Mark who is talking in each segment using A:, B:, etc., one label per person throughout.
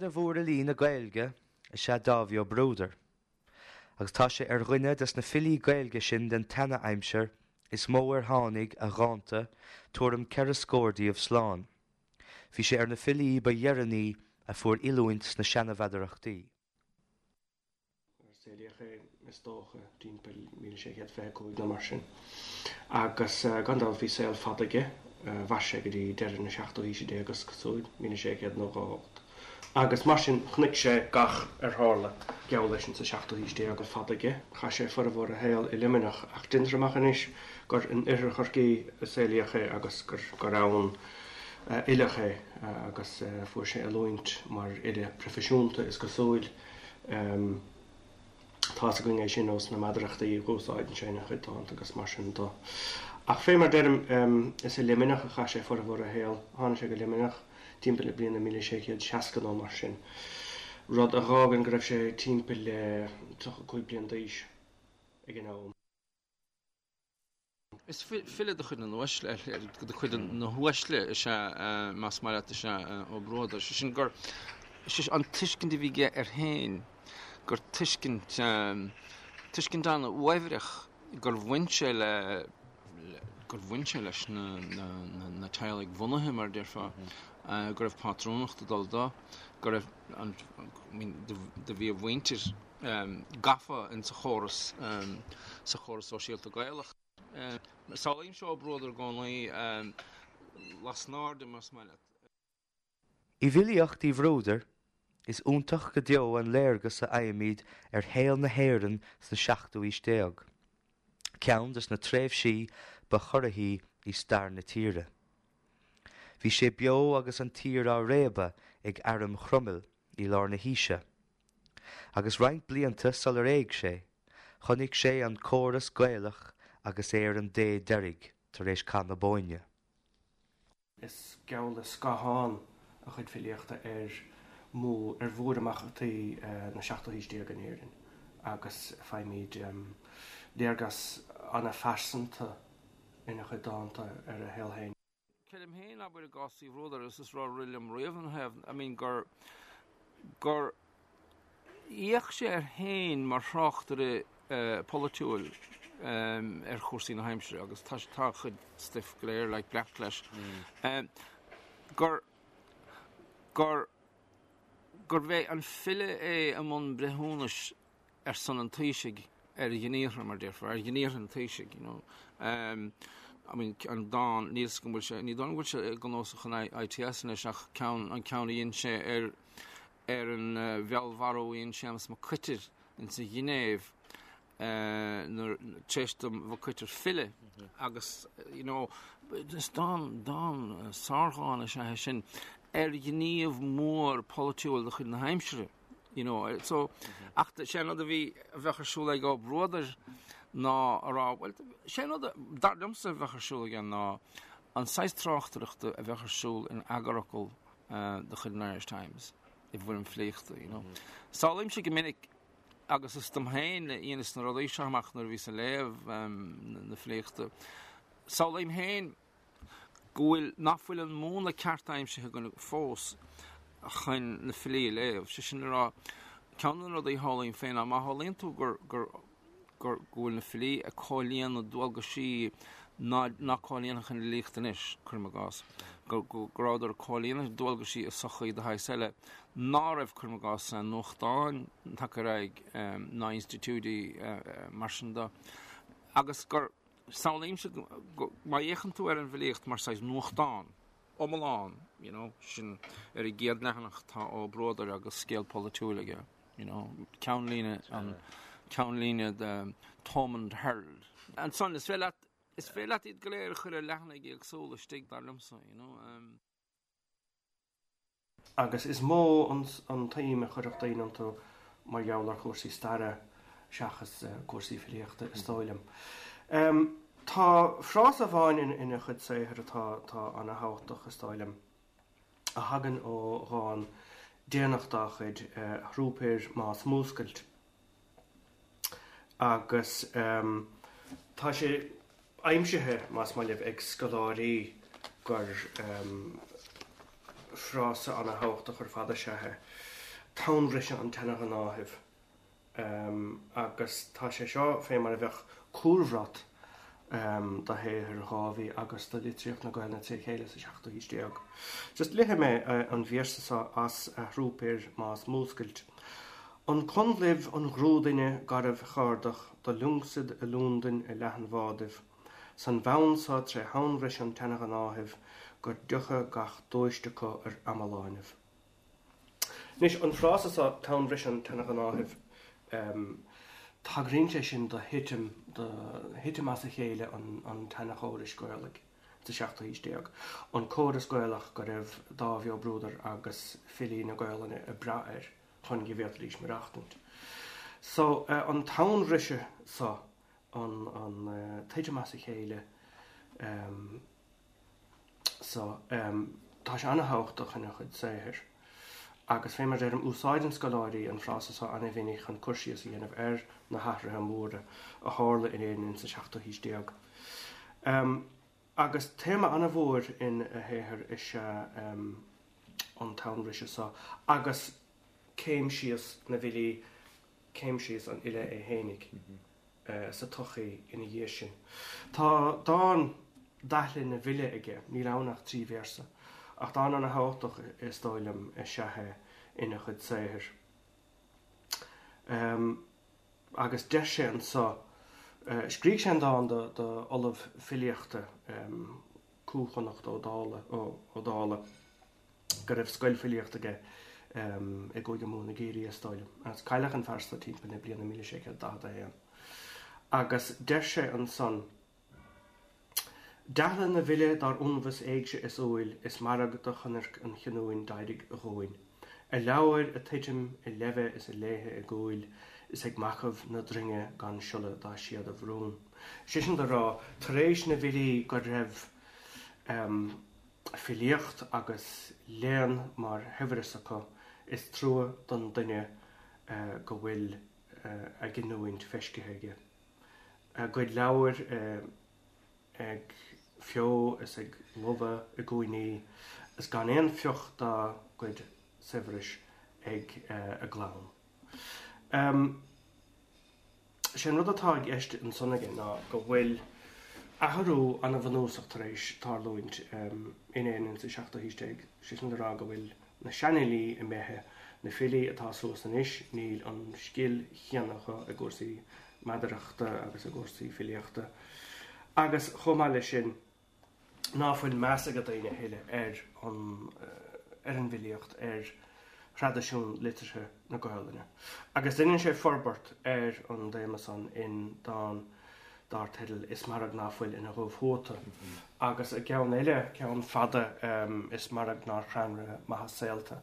A: Seana-mhórfhilí na Gaeilge is ea Dáibhí Ó Bruadair, agus tá sé ar dhuine des na filí Gaeilge sin den tseana-aimsir is mó ar tháinig a dhánta, tuairim 4 scór díobh, slán. Bhí sé ar na filí ba dheireanaí a fuair oiliúint sna seana-mheadarachtaí.
B: Saolaíodh é, is dócha, timpeall 1625 nó mar sin, agus gan dabht bhí saol fada aige, mhair sé go dtí deireadh na seachtú haoise déag, is cosúil, 1698. Agus mar sin, chonaic sé gach ar tharla geall leis insa seachtú haois déag, saol fada aige. Chaith sé formhór a shaoil i Luimneach, ach déantar amach anois gur in oirthear Chorcaí a saolaíodh é agus gur ann a oileadh é, agus fuair sé oiliúint mar fhile proifisiúnta, is cosúil. Tá's againn é sin ós na meadarachtaí a dh'úsáideann sé ina chuid dánta agus mar sin do. Ach fé mar deirim, is i Luimneach a chaith sé formhór a shaoil. Tháinig sé go Luimneach timpeall na bliana 1660 nó mar sin, rud a dh'fhágann go raibh sé timpeall le 35 bliain d'aois ag an am.
C: Is file de chuid na n-uaisle, de chuid na huaisle is ea, más maith leat, is ea Ó Bruadair. Sé sin gur, sé an tuiscint a bhí aige air féin, gur tuiscint, tuiscint an-uaibhreach gur bhain sé le, gur bhain sé leis na, na, na teaghlaigh bhunaithe, mar a déarfá, go raibh pátrúnacht ag dul dó, go raibh an, I mean, do bhí a mhuintir, gafa insa chóras, sa chóras sóisialta Gaelach. Samhlaímse Ó Bruadair i gcónaí lasnairde, más maith leat.
A: I bhfilíocht Uí Bhruadair, is iontach go deo an léargas a fhaighimid ar shaol na hÉireann sna seachtú aois déag, ceann des na tréimhsí ba chorraithí i stair na tíre. Bhí sé beo agus an tír á réabadh ag airm Chromail i lár na haoise. Agus roinnt blianta sular éag sé, chonaic sé an córas Gaelach agus é ar an dé deiridh tar éis Cath na Bóinne.
B: Is geall le scáthán a chuid filíochta ar mhór ar mhórimeachtaí na seachtú haois déag in Éirinn agus faighimid léargas an-phearsanta ina chuid dánta ar a shaol féin.
C: Creidim féin, abair, i gcás Uí Bhruadair, agus is rud a rith liom riamh ina thaobh, I mean, gur, gur fhéach sé air féin mar thráchtaire polaitiúil ar chúrsaí na haimsire agus tá, tá a chuid stuif go léir, like, breac leis, gur, gur, gurbh é an file é i mbun breithiúnais ar son an Taoisigh ar ghníomhartha, mar déarfá, ar ghníomhartha an Taoisigh, you know. I mean, an dán, níl 'fhios agam go bhfuil sé, ní dóigh liom go bhfuil sé i gcnuasach an ITS anois ach ceann, an ceann a dhein sé ar, ar an bhfeallmharú a dhein Séamus Mac Coitir insa Ghinéiv nuair, tar éis do Mhac Coitir filleadh agus, you know, is dán, dán, sárdhán is ea é sin ar ghníomh mór polaitiúil de chuid na haimsire. You know, so, ach sé an rud a bhí, a bheadh ar siúl ag Ó Bruadair ná a rá, bhuel, sé an rud a, dar liomsa a bheadh ar siúl aige ná an saghas tráchtaireachta a bheadh ar siúl in eagarfhocal de chuid an Irish Times i bhfoirm filíochta, you know. Samhlaímse go minic, agus is dom féin a dheineas na rudaí seo amach nuair a bhíos ag léamh na filíochta, samhlaím féin, go bhfuil, nach bhfuil an múnla ceart aimsithe againn fós chun na filí a léamh. Sé sin le rá, ceann de na rudaí a shamhlaím féin ná má shamhlaíonn tú gur, gur, gur, go bhfuil na filí ag comhlíonadh dualgaisí ná, ná comhlíonfadh an fhilíocht anois, cuirim i gcás, go, go, go rabhadar ag comhlíonadh dualgaisí i sochaí de shaghas eile ná raibh, cuirim i gcás, nuachtáin tagtha ar aghaidh ná institiúidí mar sin de, agus gur. Samhlaímse go, má fhéachann tú ar an bhfilíocht mar saghas nuachtán iomlán, you know, sin ar an gcéad leathanach tá Ó Bruadair agus scéal polaitiúil aige, you know, ceannlíne an, ceannlíne The Thomond Herald. Ansan, is féidir leat, is féidir leat iad go léir a chur ar leathanaigh éagsúla istigh, dar liomsa, you know.
B: Agus is mó an tsuim a chuirfeadh daoine iontu mar gheall ar chúrsaí staire seachas cúrsaí filíochta, is dóigh liom. Tá frása amháin ina chuid saothair atá atá ana-thábhachtach, is dóigh liom, a thagann ó dhán déanach dá chuid, A Thrúpaeir Más Múscailt. Agus tá sé aimsithe, más maith libh, ag scoláirí gur frása ana-thábhachtach ar fad is ea é. Tonnbhriseadh an tSeana-Ghnáthaimh. Agus tá sé seo fé mar a bheadh cúlbhrat do shaothar Dháibhí agus do litríocht na Gaelainne tré chéile sa seachtú haois déag. Just léifidh mé an véarsa seo as A Thrúpair más múscailt. An Conlaibh an ghrúduine garbh cheárdach do liúngsad i Lúndain i leathan-bhádaibh, san bhfonn so tré thonnbhriseadh an tseana-ghnáthaimh gur deochadh gach dúist acu ar amaláinibh. Anois, an frása seo, tonnbhriseadh an tseana-ghnáthaimh, tagraíonn sé sin do thitim, do thitim as a chéile an tseanachórais Ghaelaigh sa seachtú haois déag, an córas Gaelach go raibh Dáibhí Ó Bruadair agus filí na Gaelainne ag brath air chun go bhféadfaidís maireachtaint. So, an tonnbhriseadh seo, an titim as a chéile, So, tá sé ana-thábhachtach ina chuid saothair. Agus fé mar a deirim, úsáideann scoláirí an frása so ana-mhinic chun cur síos a dhéanamh ar na hathruithe móra a tharla in Éirinn insa seachtú haois déag. Agus téama ana-mhór ina shaothar is ea an tonnbhriseadh so agus céim síos na bhfilí, céim síos an fhile é fhéinig. sa tsochaí ina dhiaidh sin. Tá dán Daithle na bhFile aige, níl ann ach 3 véarsa, ach dán ana-thábhachtach is dóigh liom is ea é ina chuid saothair. Agus deir sé anso, scrígh sé an dán do ollamh filíochta, Cú Chonnacht Ó Dála, go raibh scoil filíochta aige i gCúige Mumhan, i gCiarraí is dóigh liom. Agus cailleadh an fear so timpeall na bliana 1641. Agus deir sé ansan, Daithle na bhfile dár unbhas éigse is umhail, is mairg do chonairc an chinniúin d'éirigh dhúinn. A leabhair a' tuitim i leimhe is a léithe i gcúil, is ag macaibh na droinge gan siolla dá síoda bhrún. Sé sin do rá, tar éis na bhfilí go raibh filíocht agus léann mar shaibhreas acu, is trua don duine go bhfuil a gcinniúint feiscithe aige. A gcuid leabhar ag feo is ag lobhadh i gcúinní, is gan aon phioc dá gcuid saibhris ag a gclann. Sé an rud atá i gceist ansan aige ná go bhfuil athrú ana-bhunúsach tar éis tarlúint in Éirinn sa seachtú haois déag, sé sin le rá go bhfuil na seanfhilí imithe, na filí atá suas anois, níl an scil chéanna acu i gcúrsaí meadarachta agus i gcúrsaí filíochta agus chomh maith leis sin, ná fuil meas ag daoine a thuilleadh ar an ar an bhfilíocht, ar thraidisiún liteartha na Gaolainne. Agus deineann sé forbairt ar an dtéama san in dán dár teideal Is Mairg Ná Fuil ina Dhubh-Thuata. Agus i gceann eile, ceann fada, Is Mairg Nár Chrann Re Maitheas Saolta.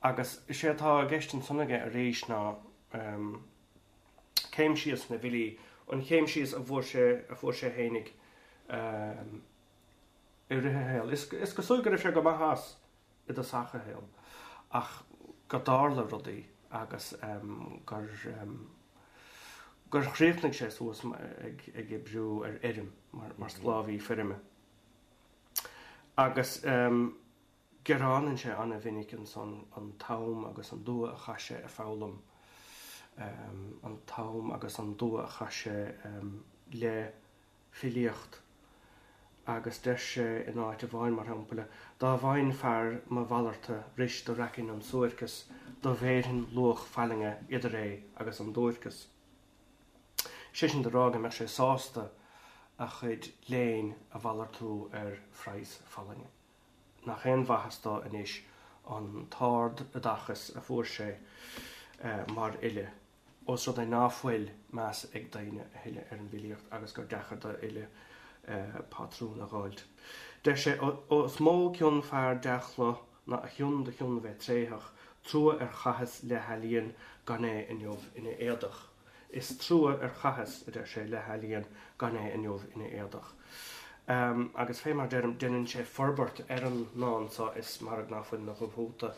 B: Agus is é atá i gceist ansan aige arís ná céim síos na bhfilí, an chéim síos a bhfuair sé, a fuair sé fhéinig i rith a shaoil. Is cosúil go raibh sé go maith as i dtosach a shaoil, ach go dtarla rudaí agus gur gur chríochnaigh sé suas ag ag oibriú ar fheirm mar sclábhaí feirme. Agus. Gearánann sé ana-mhinic ansan an t-am agus an dua a chaith sé ag foghlaim, an t-am agus an dua a chaith sé le filíocht agus deir sé in áit amháin, mar shampla, 'Dá bhfaighinn fear mo mhalarta ris do raicinn an suairceas, do bhéarfainn luach fallainge idir é agus an duairceas. Sé sin do rá go mbeadh sé sásta a chuid léinn a mhalartú ar phraghas fallainge. nach aon mhaitheas dó anois an t-ard-oideachas a fuair sé mar fhile, ós rud é ná fuil meas ag daoine a thuilleadh ar an bhfilíocht agus gur deacair do fhile pátrún a dh'fháilt. Deir sé, Ó is mó cion fear dea-chlo ná a chion do chionn bheith tréitheach, trua ar chaitheas le healaíon gan é inniu ina éadach. Is trua ar chaitheas, a deir sé, le healaíon gan é inniu ina éadach. Agus fé mar deirim, deineann sé forbairt ar an ndán so, Is mairg ná fuil 'na dhubh-thuata,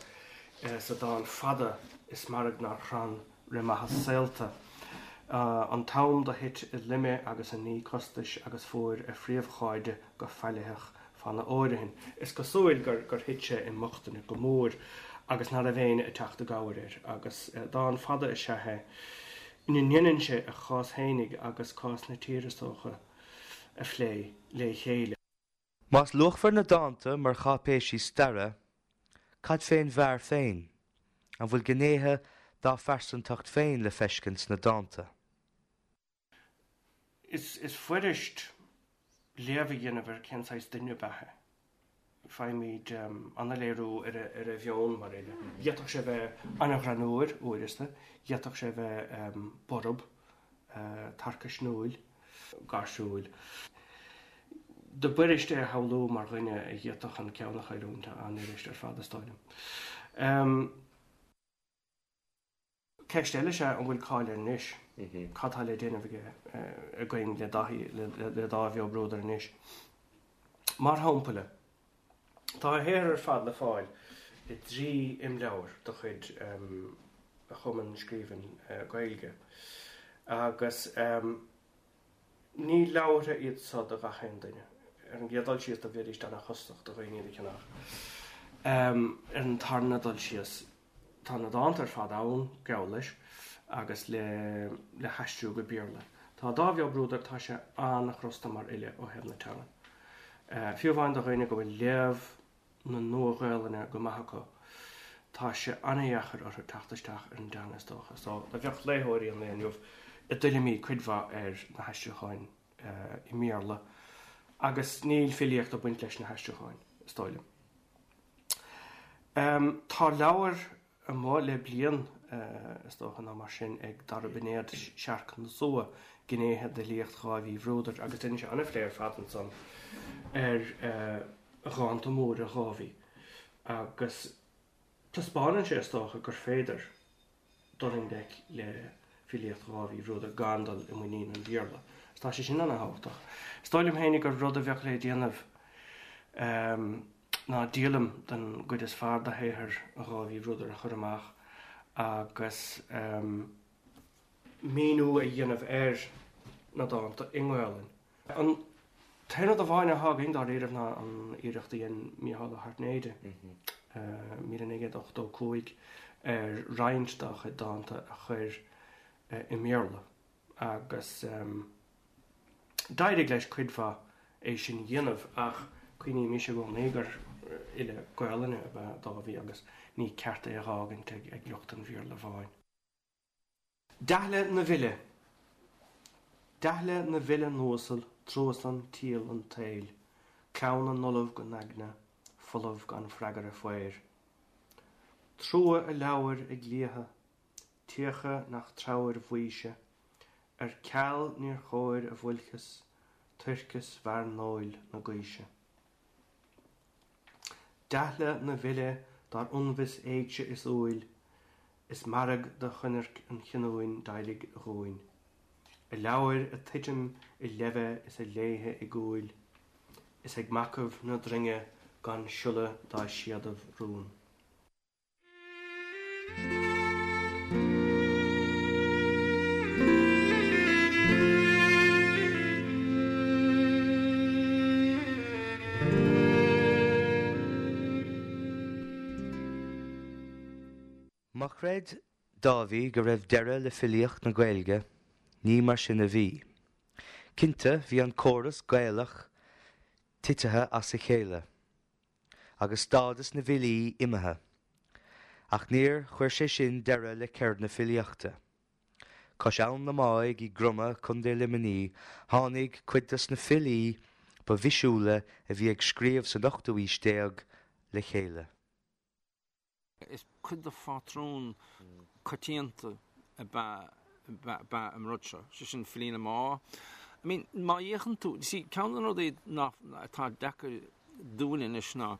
B: sa dán fada Is mairg nár chrann re maitheas saolta. An t-am do thit i loime agus i ní costais agus fuair a phríomhchairde go faillitheach fána fhóirithin. Is cosúil gur thit sé i mbochtaine go mór. agus ná raibh éinne ag teacht i gcabhair air agus dán fada is ea é ina ndéanann sé a chás fhéinig agus cás na tíre is dócha a phlé le chéile.
A: Más luachmhar na dánta mar cháipéisí staire, cad fén bhfear féin? An bhfuil gnéithe dá phearsantacht féin le feiscint sna dánta?
B: Is fuirist léamh a dhéanamh ar cén saghas duine ab ea é. Faighimid an-léiriú ar a mheon mar fhile. D'fhéadfadh sé bheith an-ghreannúr uaireanta, d'fhéadfadh sé bheith borb, tarcaisniúil, gáirsiúil. Do b'fhuirist é a shamhlú mar dhuine a d'fhéadfadh an ceann a chailliúint, an-fhuirist ar fad is dóigh liom. Ceist eile is ea an bhfuil cáil air anois? Cad tá le déanamh aige againn le Dáithí, le Dáibhí Ó Bruadair anois? Mar shampla, tá a shaothar ar fad le fáil i dtrí imleabhar de chuid Chumann Scríbhinn Gaeilge agus Ní leabhartha iad so do gach aon duine. Ar an gcéad dul síos do bheidís ana-chostasach do dhaoine iad a cheannach. Ar an tarna dul síos tá na dánta ar fad ann, geall leis, agus le le haistriú go Béarla. Tá Dáibhí Ó Bruadair, tá sé an-chrosta mar fhile ó thaobh na teangan. Fiú amháin do dhaoine go bhfuil léamh na Nua-Ghaelainne go maith acu, tá sé an-dheacair orthu teacht isteach ar an dteanga is dócha. So, do bheadh léitheoirí an lae inniu i dtuilleamaí cuid mhaith ar na haistriúcháin i mBéarla agus níl filíocht ag baint leis na haistriúcháin, is dóigh liom. Tá leabhar amuigh le bliain, is dócha, nó mar sin, ag Dara Binéad, Searc na Sua, Gnéithe d'Fhilíocht Dháibhí Uí Bhruadair, agus déanann sé an-phlé ar fad ansan ar dhánta móra Dháibhí, agus taispeánann sé, is dócha, gur féidir dul i ngleic le filíocht Dháibhí Uí Bhruadair gan dul i muinín an Bhéarla. Agus tá sé sin ana-thábhachtach. Is dóigh liom féinig gur rud a bheadh le déanamh ná díolaim den gcuid is fearr de shaothar Dháibhí Uí Bhruadair a chur amach agus míniú a dhéanamh ar na dánta i nGaolainn. An t-aon rud amháin atá againn dáiríribh ná an iarracht a dhein Mícheál Ó hAirtnéide, 1985, ar roinnt dá chuid dánta a chur i mBéarla agus d'éirigh leis cuid mhaith é sin a dhéanamh ach cuimhnímis i gcónaí gur fhile Gaolainne ab ea Dáibhí agus ní ceart é a dh'fhágaint ag lucht an Bhéarla bháin. Deathaile na bhfile Deathaile na bhfile n-uasal, truasan triall an tsaoil, Clann na n-ollamh go n-aigne, folamh gan freagartha faor. Trua a leabhair ag liatha, tíocha nach treabhair bhaoise, Ar ceal níor chóir a bhfoilcheas, toircheas mhearnóil na gaoise. Deathaile na bhfile dár ionbhas éigse is umhail, Is mairg do choinnirc an chinniúin d'éirigh dhúinn. A leabhair a' tuitim i leimhe is a léithe i gcúil, Is ag macaibh na droinge gan siolla dá síodaibh rún.
A: Má chreid Dáibhí go raibh deireadh le filíocht na Gaeilge, ní mar sin a bhí. Cinnte, bhí an córas Gaelach titithe as a chéile. agus stádas na bhfilí imithe. Ach níor chuir sé sin deireadh le ceird na filíochta. Cois Abhann na Máigh i gCromadh, Co. Luimnigh, tháinig cuid dos na filí ba bhisiúla a bhí ag scríobh san ochtú aois déag le chéile.
C: Is cuid de phátrún coitianta ab ea an rud seo, sé sin filí na Má. I mean, má fhéachann tú, see, ceann de na rudaí atá deacair dúinn anois ná,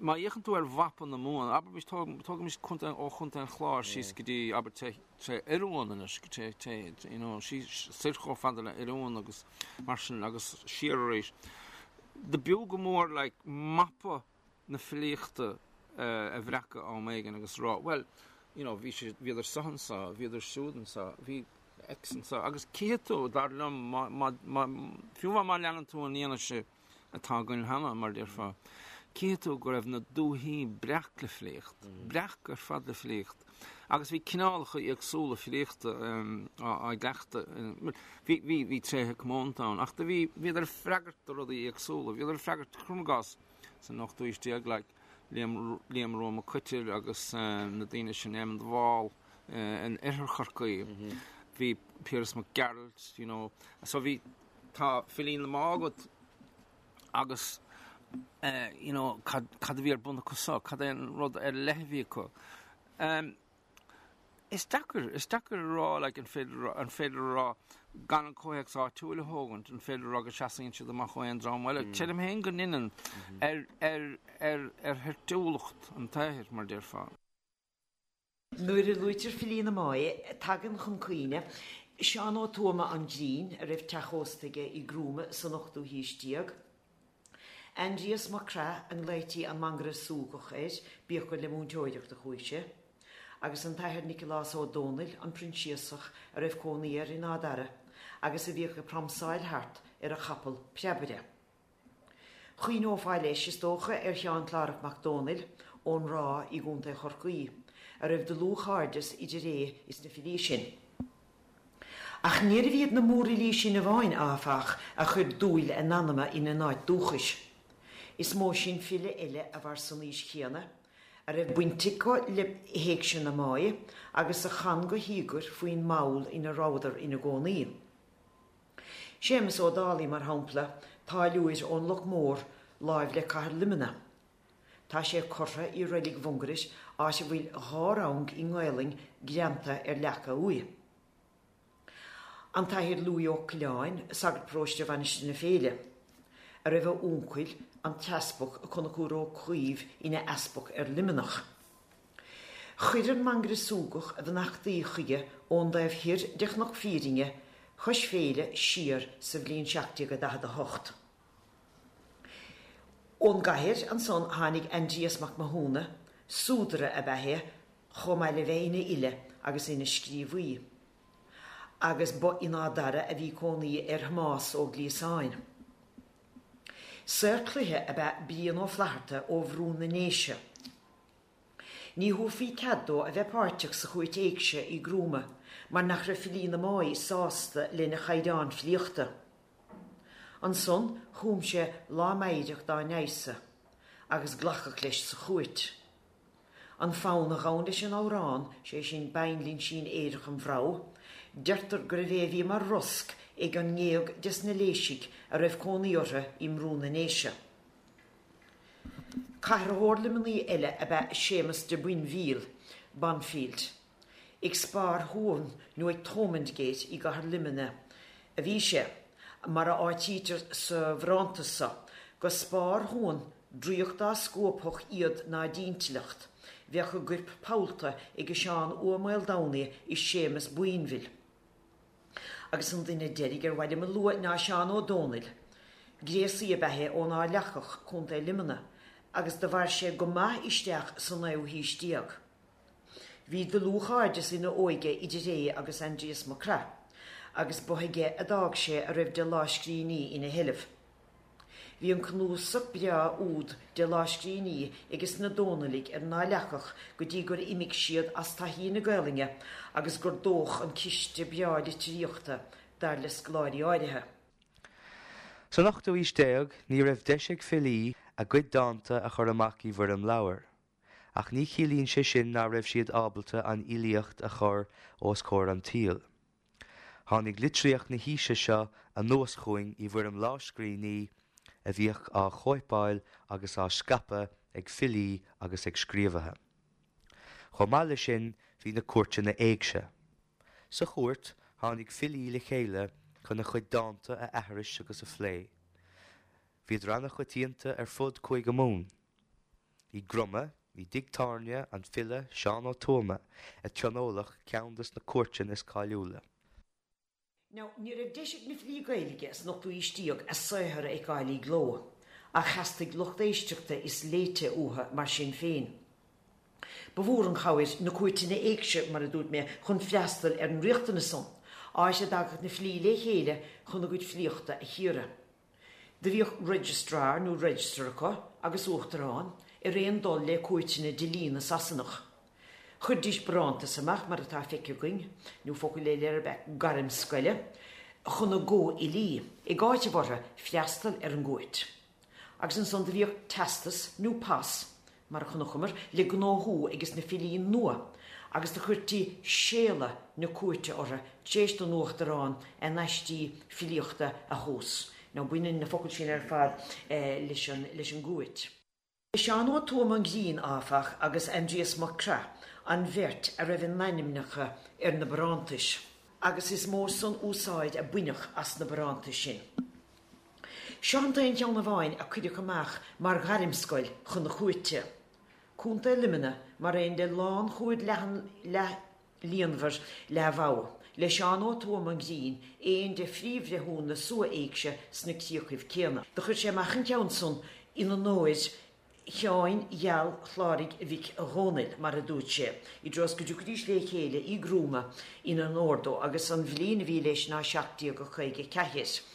C: má fhéachann tú ar mhapa na Mumhan, abraimis, tógaimis contae, ó Chontae an Chláir síos go dtí, abair, tré Oiriúin anois, tré, tré, you know, síos soir chomh fada le Oiriúin agus mar sin agus siar arís. Do b'fhiú go mór, like, mapa na filíochta a bhreacadh am éigin agus rá, bhuel, you know, bhí sé, bhíodar seo anseo, bhíodar siúd anseo, bhí X anseo, agus cífidh tú, dar liom, má, má, má, fiú amháin má leanann tú an fhianaise atá againn cheana, mar a déarfá, Cífidh tú go raibh na dúthaí breac le filíocht, breac ar fad le filíocht. Agus bhí cineálacha éagsúla filíochta á gcleachtadh. Bhí, bhí, bhí tréithe comónta ann, ach do bhí, bhíodar ag freagairt do rudaí éagsúla. Bhíodar ag freagairt, cuirim i gcás, san ochtú haois déag, like, Liam, Liam Rua Mac Coitir agus na daoine sin, Éamon de Bhál in oirthear Chorcaí. Bhí Piaras Mac Gearailt, you know. So bhí, tá filí na Má agat agus you know, cad, cad a bhí ar bun acu so, cad é an rud ar leith a bhí acu. Um, is deacair, is deacair a rá, like, an féidir, an féidir a rá gan an comhthéacs áitiúil a thógaint, an féidir a rá go seasaíonn siad amach ó aon dream eile. Mm. Creidim féin go ndeineann mm -hmm. ar, ar, ar, ar thoirtiúlacht an tsaothair, mar déarfá.
D: Nuair a luaitear filí na Máighe, tagann chun cuimhne Seán Ó Tuama an Grinn, a raibh teach ósta aige i gCrúma san ochtú haois déag, Aindrias Mac Craith, a nglaoití an Mangaire Súgach air, bíodh gur le múinteoireacht a chuaigh sé, agus an tAthair Nicolás Ó Dónaill, an Proinsiasach, a raibh cónaí air in Áth Dara agus a bhíodh ag pramsáil thart ar a chapall preabaire. Chuimhneofá leis, is dócha, ar Sheán Clárach Mac Dónaill ón Ráth i gContae Chorcaí, a raibh dlúthchairdeas idir é is na filí sin. Ach níorbh iad na mórfhilí sin amháin, áfach, a chuir dúil a n-anama ina n-áit dúchais. Is mó sin file eile a mhair san aois chéanna, a raibh baint acu le hÉigse na Máighe agus a chan go híogair faoin mball ina rabhadar ina gcónaí. Séamus Ó Dálaigh, mar shampla, táilliúir ón Loch Mór láimh le cathair Luimnigh. Tá sé curtha i Reilig Mhungairit, áit a bhfuil dá rang i nGaelainn greanta ar leac a uaighe. An tAthair Lughaidh Ó Coileáin, sagart paróiste Mhainistir na Féile, a raibh a uncail, an tEaspag Conchúr Ó Caoimh ina easpag ar Luimneach. Chuir an Mangaire Súgach a bheannachtaí chuige ón dtaobh thoir de Chnoc Fírinne cois Féile siar sa bhliain 1748. Ón gcathair ansan tháinig Aindrias Mac Mathúna, súdaire ab ea é chomh maith le bheith ina fhile agus ina scríobhaí, agus ba in Áth Dara a bhí cónaí ar Thomás Ó Gliasáin. Saor cloiche ab ea Brian Ó Flatharta ó Bhrú na nDéise. Ní thabharfaí cead dó a bheith páirteach sa chúirt éigse i gCrúma mar nach raibh filí na Máighe sásta lena chaighdeán filíochta. Ansan chum sé lá meidhreach dá n-aigheasa agus glacadh leis sa chúirt. An fonn a ghabhann leis an amhrán, sé sin Bainlinsín Aerach an Bhreabh, deirtear gurbh é a bhí mar rosc ag an ngéag des na Léisigh a raibh cónaí orthu i mBrú na nDéise. Cathraitheoir Luimnigh eile ab ea Séamus de Boinbhíl, Bonfield. Ag Spar Thuamhan nó ag Thomondgate i gcathair Luimnigh a bhí sé, mar a áitítear sa bharántas so, Go Spar Thuamhan draíocht dá scuabfadh iad ná d'intleacht, bheadh a gcoirp pollta ag Seán Ua Maoldomhnaigh is Séamus Boinbhil. Agus an duine deiridh ar mhaith liom a lua ná Seán Ó Dónaill. Gréasaí ab ea é ón Áth Leacach, Contae Luimnigh, agus do mhair sé go maith isteach sa naoú haois déag. Bhí dlúthchairdeas ina óige idir é agus Aindrias Mac Craith, agus ba aige a d'fhág sé a raibh de lámhscríbhinní ina sheilbh. Bhí an cnuasach breá úd de lámhscríbhinní ages na Dónailigh ar an Áth Leacach go dtí gur imigh siad as taithí na Gaelainne agus gur dódh an ciste breá litríochta, dar le scoláirí áirithe.
A: San ochtú haois déag ní raibh deis ag filí a gcuid dánta a chur amach i bhfoirm leabhair, ach ní chiallaíonn sé sin ná raibh siad ábalta an fhilíocht a chur os comhair an tsaoil. Tháinig litríocht na haoise seo anuas chugainn i bhfoirm lámhscríbhinní a bhíodh á chóipeáil agus á scaipeadh ag filí agus ag scríobhaithe. Chomh maith leis sin bhí na cúirteanna éigse. Sa chúirt tháinig filí le chéile chun a chuid dánta a aithris agus a phlé. Bhíodar an-choitianta ar fud Cúige Mumhan. I gCroma, i dtigh tábhairne an file Seán Ó Tuama, a tionóladh ceann de na cúirteanna is cáiliúla.
D: Now, ní raibh deis ag na filí Gaeilge san ochtú haois déag a saothar a fheiceáil i gcló, ach theastaigh lucht éisteachta is léite uathu mar sin féin. Ba mhór an chabhair na cúirteanna éigse, mar a dúirt mé, chun freastal ar an riachtanas san, áit a dtagadh na filí le chéile chun a gcuid filíochta a chíoradh. Do bhíodh registrar nó register acu agus uachtarán, ar aon dul le cúirteanna dlí na Sasanach. Chuiridís barántas amach, mar atá feicthe againn, nó focal eile air ab ea gairm scoile, chun a gcomhfhilí, ag áiteamh orthu freastal ar an gcúirt. Agus ansan do bhíodh teastas nó pas, mar a chonacamar, le gnóthú ages na filí nua, agus do chuirtí séala na cúirte orthu tar éis don uachtarán a n-aistí filíochta a thomhas. Now baineann na focail sin ar fad leis an gcúirt. Seán Ó Tuama an Ghrinn, áfach, agus Aindrias Mac Craith an bheirt a raibh a n-ainmneacha ar na barántais, agus is mó san úsáid a baineadh as na barántais sin. Seo an t-aon cheann amháin a cuireadh amach mar ghairmscoil chun na cúirte. Contae Luimnigh, mar aon le lánchuaird leathan leath-líonmhar leath-mhogha, le Seán Ó Tuama an Ghrinn, aon de phríomhbhreithiúna na Sua-Éigse sna críochaibh céanna. Do chuir sé amach an ceann san in onóir Sheáin Gheal Chláraigh Mhic Dhónaill, mar a dúirt sé, i dtreo is go dtiocfaidís lé chéile i gCrúma in onóir dó, agus an bhliain a bhí leis ná 1754.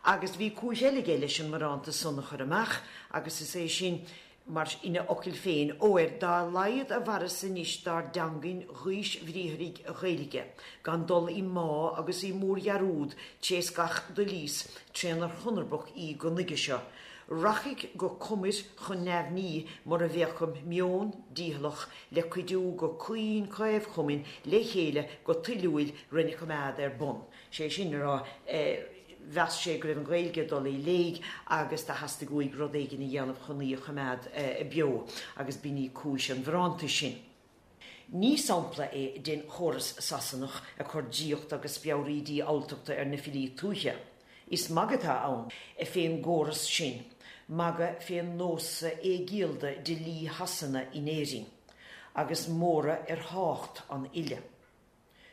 D: Agus bhí cúis eile aige leis an mbarántas san a chur amach, agus is é sin, mar ina fhocail féin, Óir dá laghad a mhaireas anois dár dteangain ghaoisbhriathraigh Ghaeilge, gan dul i mbá agus i mórdhearúd tré's gach do lios trénar chonarbadh í go nuige seo, Rachaidh go comair chun neamhní mura bhféachaim meon dícheallach le cuidiú go caoin caomh-chumainn le chéile go toiliúil rena coimeád ar bun. Sé sin le rá, mheas sé go raibh an Ghaeilge ag dul i léig agus do theastaigh uaidh rud éigin a dhéanamh chun í a choimeád beo agus b'in í cúis an bharántais sin. Ní sampla é den chóras Sasanach ag cur draíocht agus speabhraídí diabhaltachta ar na filí tuaithe. Is magadh atá ann fén gcóras sin, magadh fé nósa éigiallda dlí Shasana in Éirinn, agus móradh ar thácht an fhile.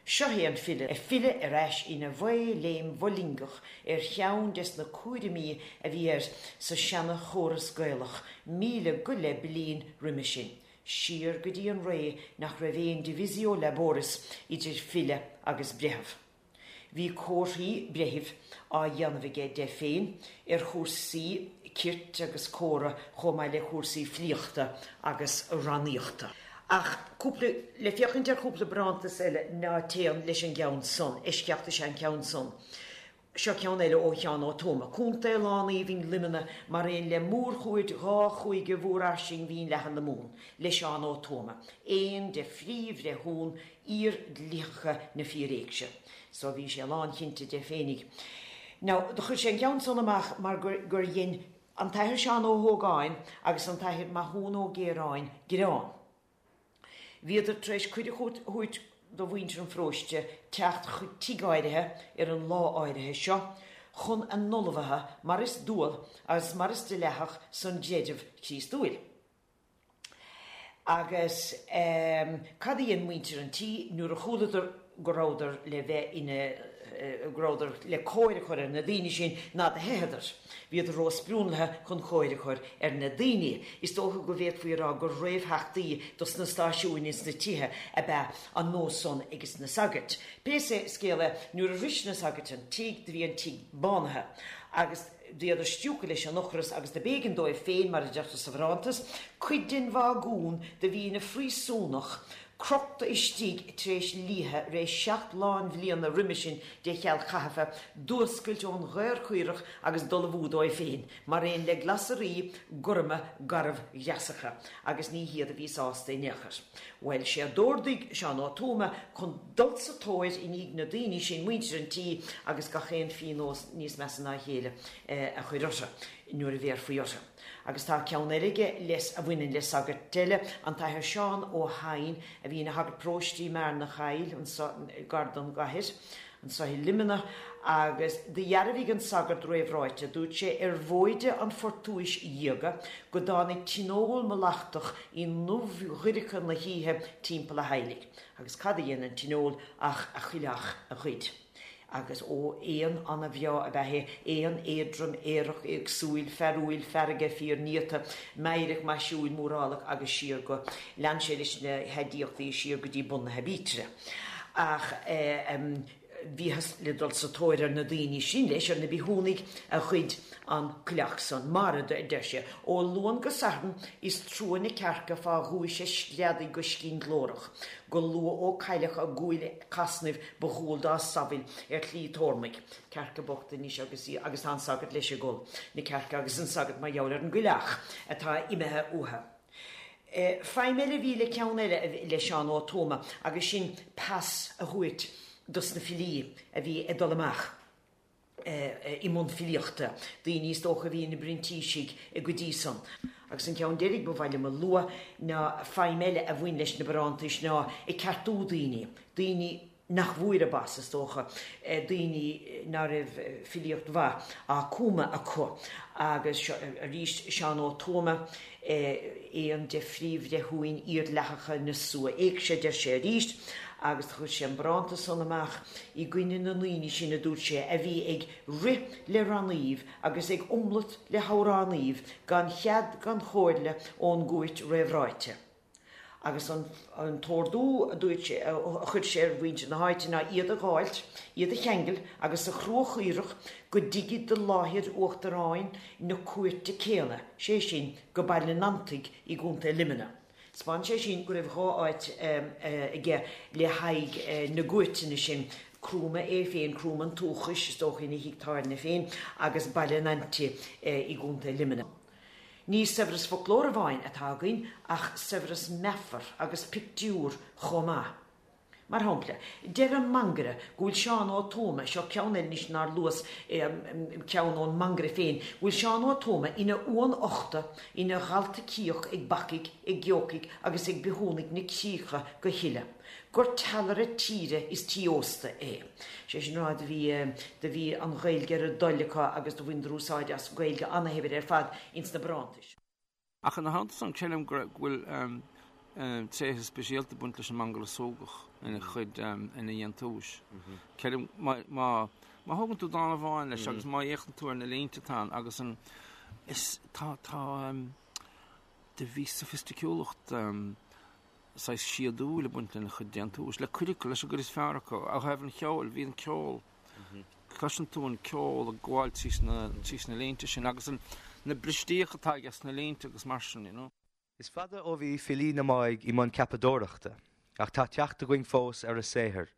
D: Seo é an file ag filleadh ar ais ina mhaothléim mholingeach ar cheann des na cúraimí a bhí air sa seana-chóras Gaelach 1000 go leith bliain roime sin, siar go dtí an ré nach raibh aon divisio laboris idir file agus breitheamh. Bhí comharthaí breithimh á dhéanamh aige de féin ar chúrsaí cirt agus córa chomh maith le cúrsaí filíochta agus rannaíochta. Ach cúpla, le féachaint ar chúpla barántas eile ná téann leis an gceann san, eisceacht is ea an ceann san. Seo ceann eile ó Sheán Ó Tuama, Contae lán-aoibhinn Luimnigh mar aon le mórchuaird dhá chúige mhórfhairsing mhín leathan na Mumhan, le Seán Ó Tuama, aon de phríomhbhreithiúna fhíordhlítheacha na Fíor-Éigse. So bhí sé lánchinnte de féinig. Now, do chuir sé an ceann san amach mar gur, gur dhein an tAthair Seán Ó hÓgáin agus an tAthair Mathúna Ó Géaráin gearán. Bhíodar tar éis cuireadh a thabhairt do mhuintir an pharóiste teacht chuig tigh áirithe ar an lá áirithe seo chun a n-ullmhaithe mar is dual agus mar is dleathach san gcreideamh Críostúil. Agus cad a dhein muintir an tí nuair a chualadar go rabhadar le bheith ina, go rabhadar le cóir a chur ar na daoine sin ná do theitheadar. Bhíodar ró-sprionlaithe chun cóir a chur ar na daoine. Is dócha go bhféadfaí a rá gur réamhtheachtaí dos na stáisiúin ins na tithe ab ea an nós san ages na sagairt. Pé scéal é, nuair a shrois na sagairt an tigh, do bhí an tigh bánaithe. Agus. Bhíodar stiúgtha leis an ocras agus do b'éigean dóibh féin, mar a deirtear sa bharántas, cuid den bhagún do bhí ina phríosúnach crochta istigh tar éis liatha ré 7 lánbhliana roime sin de sheal chaitheamha, d'fhuascailt ón ghaor caorach agus d'ullmhú dóibh féin, mar aon le glasraí gorma garbhghreasacha, agus ní hiad a bhí sásta in aon chor. Bhuel, sé a d'órdaigh Seán Ó Tuama chun dul sa tóir i ndiaidh na daoine sin, muintir an tí, agus gach aon phíonós níos measa ná a chéile a chur orthu nuair a bhéarfaí orthu. Agus tá ceann eile aige les a bhaineann le sagart eile, an tAthair Seán Ó hEidhin, a bhí ina shagart paróiste i mBearna Chaill, anso gar don gcathair, anso i Luimneach, agus do dhearbhaigh an sagart réamhráite, dúirt sé, ar mhóide an phortúis dhiaga, go dtáinig tionól mallachtach i ndubhdhoirche na hoíche timpeall a theaghlaigh. Agus cad a dhein an tionól ach a choileach a ghoid. Agus ó, éan ana-bhreá ab ea é, éan éadrom, aerach, éagsúil, fearúil, fearga, fíornéata, meidhreach, maisiúil, mórálach agus siar go, lean sé leis na haidiachtaí siar go dtí bun na haibítre. Ach eh. Bhíothas le dul sa tóir ar na daoine sin leis, ar na bithiúnaigh a ghoid an coileach san. Mar, a deir sé, ó Luan go Satharn is trua na cearca fá ghuais a screadaigh go scian-ghlórach, go luath ó cailleadh a gcuaille casnaimh ba dhual dá samhail ar shlí Thormaigh. Cearca bocht anois agus í, agus tá an sagart leis ag gol, na cearca agus an sagart mar gheall ar an gcoileach atá imithe uathu. Feidhm eile a bhí le ceann eile le Seán Ó Tuama agus sin pas a thabhairt dos na filí a bhí ag dul amach i mbun filíochta, daoine is dócha a bhí ina bprintísigh go dtí san. Agus an ceann deiridh ba mhaith liom a lua ná feidhm eile a bhain leis na barántais ná ag ceartú daoine, daoine nach bhfuair a bpas, is dócha, daoine ná raibh filíocht mhaith á cumadh acu. Agus seo arís Seán Ó Tuama, aon de phríomhbhreithiúin iardhleathacha na Sua-Éigse, deir sé arís, agus do chuir sé an barántas san amach i gcoinne na ndaoine sin, a dúirt sé, a bhí ag rith le rannaíbh agus ag iomlat le hamhránaíbh gan chead gan chomhairle ón gcúirt réamhráite. Agus an t-ordú, a dúirt sé, a chuir sé ar mhuintir na háite ná iad a dh'fháilt, iad a cheangal agus a chruachaoradh go dtigid do láthair uachtaráin na cúirte céanna, sé sin, go Baile an Fhantaigh i gContae Luimnigh. 'Spáin sé sin go raibh dhá áit aige le haghaidh na gcúirteanna sin, Cruma é féin, Cruma an tsúchais, is dócha, ina thigh tábhairne féin, agus Baile an Fhantaigh i gContae Luimnigh. Ní saibhreas foclóra amháin atá againn ach saibhreas meafar agus pictiúr chomh maith. Mar shampla, deir an Mangaire go bhfuil Seán Ó Tuama, seo ceann eile anois nár luas, ceann ón Mangaire féin, go bhfuil Seán Ó Tuama ina uan uchta, ina dhalta cíoch ag bacaigh, ag geocaigh agus ag bithiúnaigh na críche go huile. gur teallaire tíre is tí ósta é. Sé sin a rá, do bhí, do bhí an Ghaeilge ar a dtoil acu agus do bhaineadar úsáid as Gaeilge ana-shaibhir ar fad ins na barántais.
C: Ach ina theannta san, creidim go bhfuil tréithe speisialta ag baint leis an Mangaire Súgach ina chuid, ina dhéantúis. Creidim, má, má, má thógann tú dán amháin leis agus má fhéachann tú ar na línte atá ann agus an, is, tá, tá, do bhí soifisticiúlacht saghas síodúil ag baint lena chuid déantúis, le cuid acu, leis an gcuid is fearr acu. Ó thaobh an cheoil, bhí an ceol, cloiseann tú an ceol ag gabháil tríos na, tríos na línte sin agus an, na bristíocha atá aige sna línte agus mar sin, you know.
A: Is fada ó bhí filí na Máigh i mbun ceapadóireachta, ach tá teacht againn fós ar a saothar.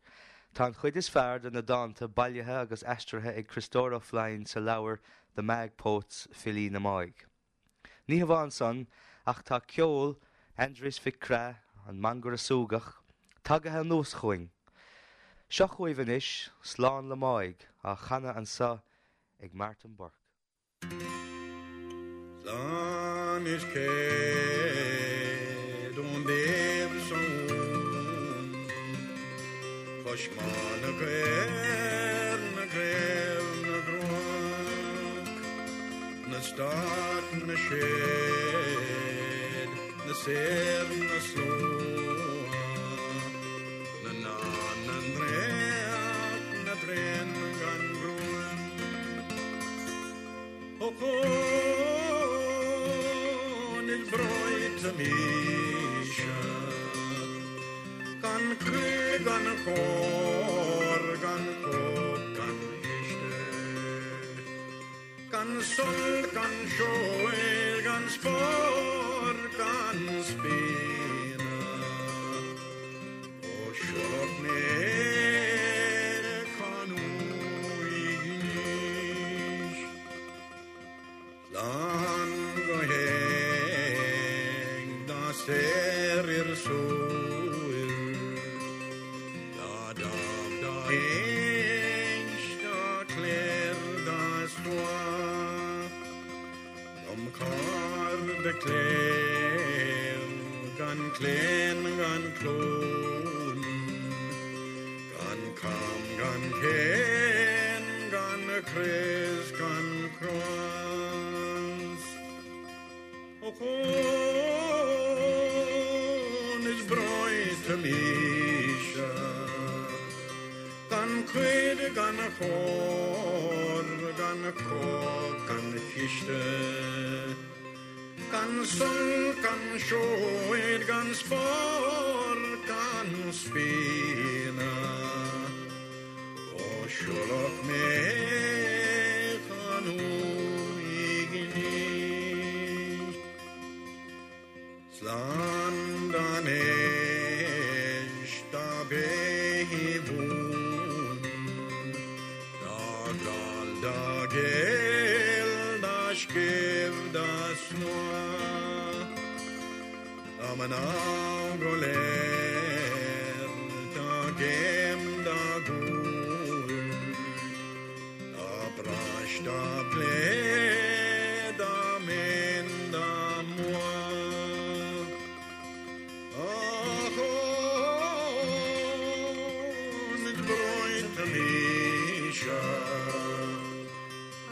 A: Tá an chuid is fearr de na dánta bailithe agus aistrithe ag Criostóir Ó Floinn sa leabhar The Magh Poets, Filí na Máigh. Ní hamháin san, ach tá ceol Aindrias Mhic Craith, an Mangaire Súgach, tagaithe anuas chugainn. Seo chugaibh anois, Slán le Máigh, á chanadh anso ag Martin Burke.
E: Slán is céad ón dtaobh san cois Má na gcaor, na gcraobh, na gcruach. Na stát, na séad, na saor, na slua, na ndán, na ndréacht, na dtréan gan ghruaim. Ochón is breoite mise, gan cuid gan chór, gan chóip gan chiste. Gan sult, gan seoid, gan spórt, gan spíonadh, ó siúlach mé chun uaignis, slán go héag dá saorir súil, dá dámh dá héis dá cléir dá slua, dom cairde cléir gan claon gan clún, gan cam gan céin gan crios gan cros. Ochón is breoite mise, gan cuid gan chór, gan cóip gan chiste, gan sult gan seoid, gan spórt gan spíonadh. siúlfadh mé chan uaignis. Slán gan éis dá béithe bún, dá gall dá géill dá scéimh dá snáth, dá mná go léir dá gcéim dá gcúl, dá bprais dá bplé dá mien dá mhaith. Ach is breoite mise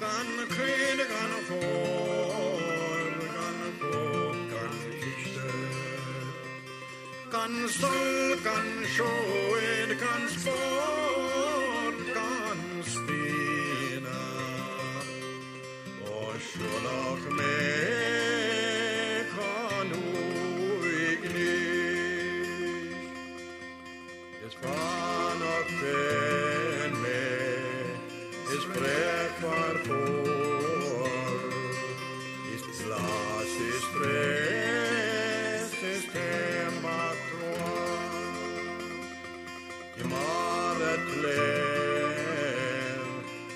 E: gan cuid gan chóir gan cóip gan chiste gan sol gan seoid gan spórt gan spíona Ó siúlfadh mé chun uaignis Is fánach féin mé is bréagfhear fuar Is glas is traos is taom trua I mbarra tléibh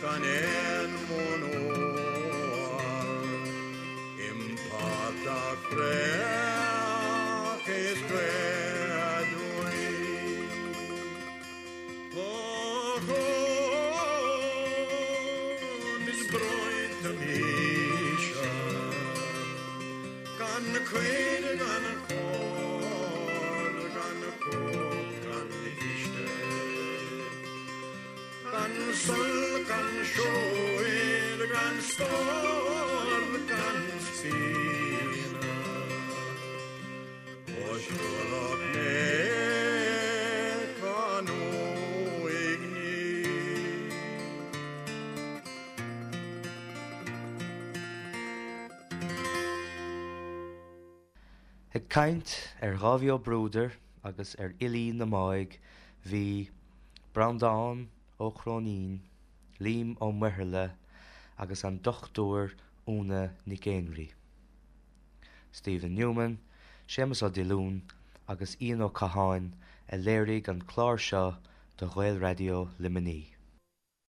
E: gan aon mhonóir Im portach fraoch is gaoth aduaidh Ochón is breoite mise Gan cuid gan chóir gan cóip gan chiste Gan sol gan seoid gan spórt gan spíona Ó siúlfadh mé chun uaignis.
A: Ag caint ar Dháibhí Ó Bruadair agus ar fhilí na Máigh bhí Breandán Ó Cróinín, Liam Ó Muirthile agus an Dr Úna Nic Éinrí. Stephen Newman, Séamus Ó Diollúin agus Ian Ó Catháin a léirigh an clár seo do Ghaelraidió Luimnigh.